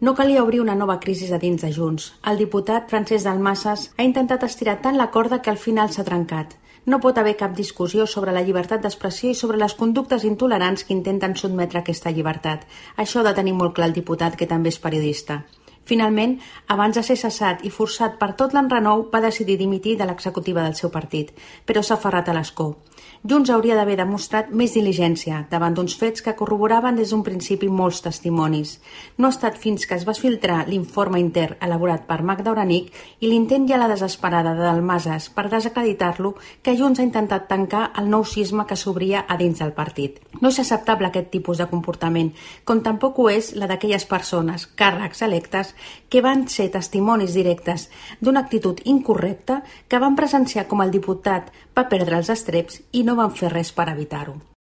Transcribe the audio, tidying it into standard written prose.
No calia obrir una nova crisi a dins de Junts. El diputat Francesc Dalmases ha intentat estirar tant la corda que al final s'ha trencat. No pot haver cap discussió sobre la llibertat d'expressió i sobre les conductes intolerants que intenten sotmetre aquesta llibertat. Això ha de tenir molt clar el diputat, que també és periodista. Finalment, abans de ser cessat i forçat per tot l'enrenou, va decidir dimitir de l'executiva del seu partit, però s'ha aferrat a l'escó. Junts hauria d'haver demostrat més diligència davant d'uns fets que corroboraven des d'un principi molts testimonis. No ha estat fins que es va filtrar l'informe intern elaborat per Magda Oranic i l'intent i a la desesperada de Dalmases per desacreditar-lo que Junts ha intentat tancar el nou cisma que s'obria a dins del partit. No és acceptable aquest tipus de comportament, com tampoc ho és la d'aquelles persones, càrrecs electes, que van ser testimonis directes d'una actitud incorrecta que van presenciar com el diputat va perdre els estreps i no van fer res per evitar-ho.